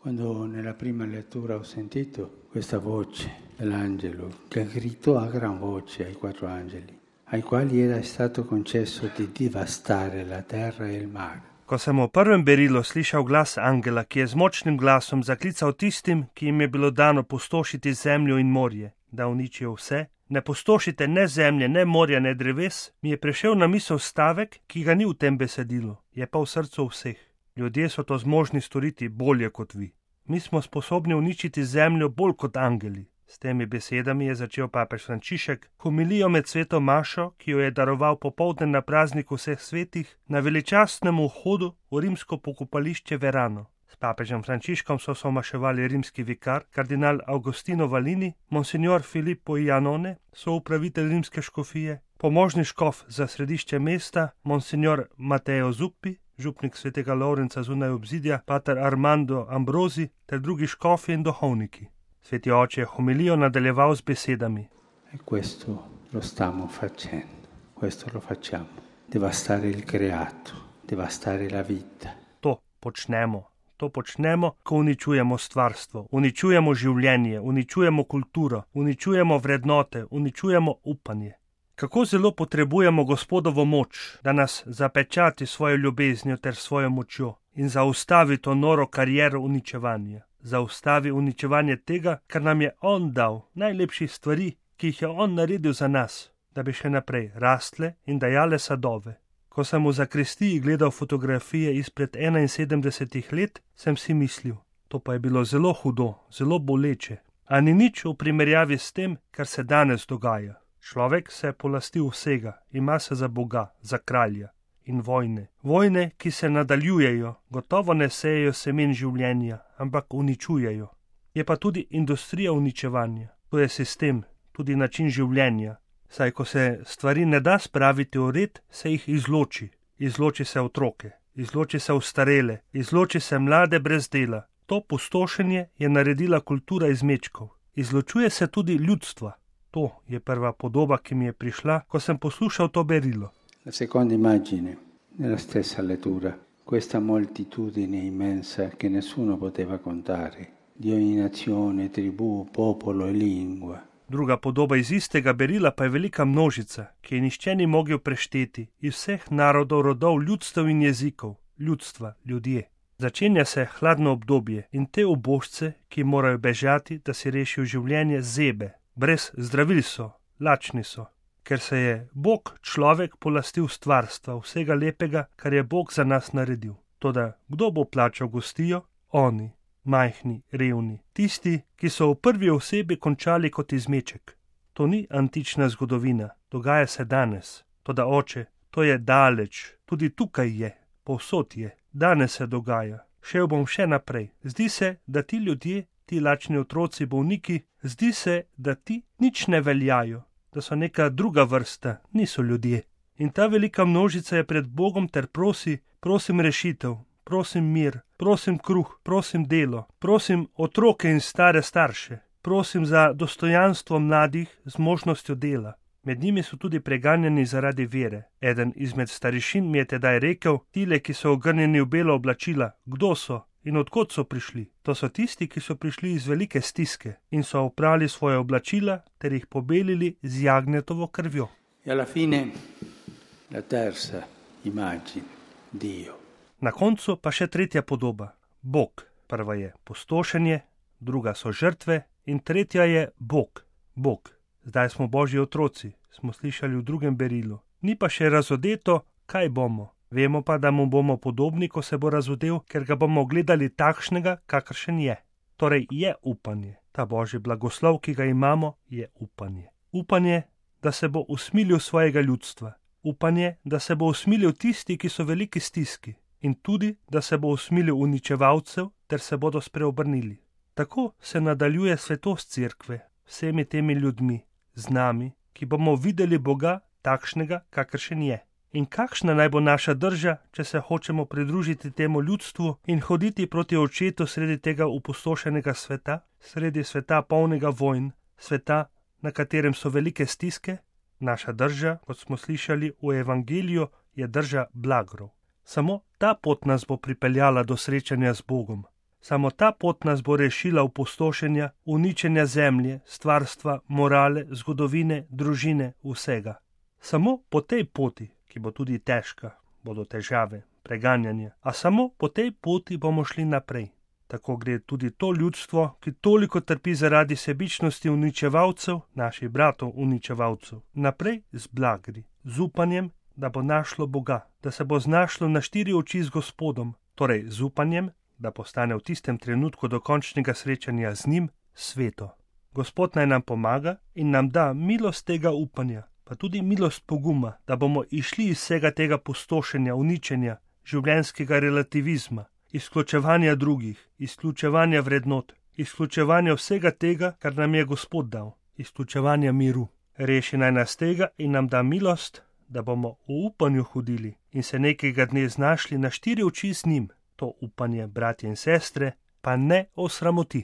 Quando nella prima lettura ho sentito questa voce dell'angelo che gridò a gran voce ai 4 angeli, ai quali era stato concesso di devastare la terra e il mare. Ko sem v prvem berilu slišal glas angela, ki je z močnim glasom zaklical tistim, ki jim je bilo dano pustošiti zemljo in morje, da uničijo vse, ne pustošite ne zemlje, ne morja, ne dreves, mi je prišel na misel stavek, ki ga ni v tem besedilu, je pa v srcu vseh. Ljudje so to zmožni storiti bolje kot vi. Mi smo sposobni uničiti zemljo bolj kot angeli. S temi besedami je začel papež Frančišek homilijo med sveto mašo, ki jo je daroval popoldne na prazniku vseh svetih, na veličastnem vhodu v rimsko pokopališče Verano. S papežem Frančiškom so somaševali rimski vikar, kardinal Agostino Valini, monsignor Filippo Iannone, soupravitelj rimske škofije, pomožni škof za središče mesta, monsignor Matteo Zuppi, župnik svetega Lovrenca zunaj obzidja, pater Armando Ambrosi ter drugi škofi in duhovniki. Sveti oče je homilijo nadaljeval z besedami. E questo lo stiamo facendo, questo lo facciamo. Devastare il creato, devastare la vita. To počnemo, ko uničujemo stvarstvo, uničujemo življenje, uničujemo kulturo, uničujemo vrednote, uničujemo upanje. Kako zelo potrebujemo Gospodovo moč, da nas zapečati svojo ljubeznijo ter svojo močjo in zaustavi to noro kariero uničevanja. Zaustavi uničevanje tega, kar nam je On dal, najlepših stvari, ki jih je On naredil za nas, da bi še naprej rastle in dajale sadove. Ko sem v zakristiji gledal fotografije izpred 71 let, sem si mislil, to pa je bilo zelo hudo, zelo boleče, a ni nič v primerjavi s tem, kar se danes dogaja. Človek se je polastil vsega, ima se za Boga, za kralja. In vojne. Vojne, ki se nadaljujejo, gotovo ne sejejo semen življenja, ampak uničujejo. Je pa tudi industrija uničevanja. To je sistem, tudi način življenja. Saj, ko se stvari ne da spraviti v red, se jih izloči. Izloči se otroke, izloči se ostarele, izloči se mlade brez dela. To pustošenje je naredila kultura izmečkov. Izločuje se tudi ljudstva. To je prva podoba, ki mi je prišla, ko sem poslušal to berilo. La seconda immagine, nella stessa lettura, questa moltitudine immensa che nessuno poteva contare, di ogni nazione, tribù, popolo e lingua. Druga podoba iz istega berila pa je velika množica, ki je nihče ni mogel prešteti, iz vseh narodov, rodov, ljudstev in jezikov, ljudstva, ljudje. Začenja se hladno obdobje in te ubožce, ki morajo bežati, da si rešijo življenje, zebe. Brez zdravil so, lačni so. Ker se je Bog človek polastil stvarstva, vsega lepega, kar je Bog za nas naredil. Toda kdo bo plačal gostijo? Oni, majhni, revni, tisti, ki so v prvi osebi končali kot izmeček. To ni antična zgodovina, dogaja se danes. Toda oče, to je daleč, tudi tukaj je, povsod je, danes se dogaja. Šel bom še naprej. Zdi se, da ti ljudje, ti lačni otroci, bolniki, zdi se, da ti nič ne veljajo. Da so neka druga vrsta, niso ljudje. In ta velika množica je pred Bogom ter prosim rešitev, prosim mir, prosim kruh, prosim delo, prosim otroke in stare starše, prosim za dostojanstvo mladih z možnostjo dela. Med njimi so tudi preganjani zaradi vere. Eden izmed starišin mi je tedaj rekel, tile, ki so ogrnjeni v belo oblačila, kdo so? In odkot so prišli? To so tisti, ki so prišli iz velike stiske in so oprali svoje oblačila ter jih pobelili z jagnjetovo krvjo. E alla fine la terza immagine, Dio. Na koncu pa še tretja podoba, Bog. Prva je pustošenje, druga so žrtve in tretja je Bog. Bog. Zdaj smo Božji otroci, smo slišali v drugem berilu. Ni pa še razodeto, kaj bomo. Vemo pa, da mu bomo podobni, ko se bo razodel, ker ga bomo gledali takšnega, kakršen je. Torej je upanje. Ta Božji blagoslov, ki ga imamo, je upanje. Upanje, da se bo usmilil svojega ljudstva. Upanje, da se bo usmilil tisti, ki so veliki stiski. In tudi, da se bo usmilil uničevalcev, ter se bodo spreobrnili. Tako se nadaljuje svetost cerkve, vsemi temi ljudmi, z nami, ki bomo videli Boga takšnega, kakršen je. In kakšna naj bo naša drža, če se hočemo pridružiti temu ljudstvu in hoditi proti očetu sredi tega opustošenega sveta, sredi sveta polnega vojn, sveta, na katerem so velike stiske? Naša drža, kot smo slišali v evangeliju, je drža blagrov. Samo ta pot nas bo pripeljala do srečanja z Bogom. Samo ta pot nas bo rešila opustošenja, uničenja zemlje, stvarstva, morale, zgodovine, družine, vsega. Samo po tej poti, ki bo tudi težka, bodo težave, preganjanje, a samo po tej poti bomo šli naprej. Tako gre tudi to ljudstvo, ki toliko trpi zaradi sebičnosti uničevalcev, naših bratov uničevalcev, naprej z blagri, z upanjem, da bo našlo Boga, da se bo znašlo na 4 oči z Gospodom, torej z upanjem, da postane v tistem trenutku dokončnega srečanja z njim sveto. Gospod naj nam pomaga in nam da milost tega upanja, pa tudi milost poguma, da bomo išli iz vsega tega pustošenja, uničenja, življenjskega relativizma, izključevanja drugih, izključevanja vrednot, izključevanja vsega tega, kar nam je Gospod dal, izključevanja miru. Reši naj nas tega in nam da milost, da bomo v upanju hodili in se nekega dne znašli na 4 oči z njim. To upanje, bratje in sestre, pa ne osramoti.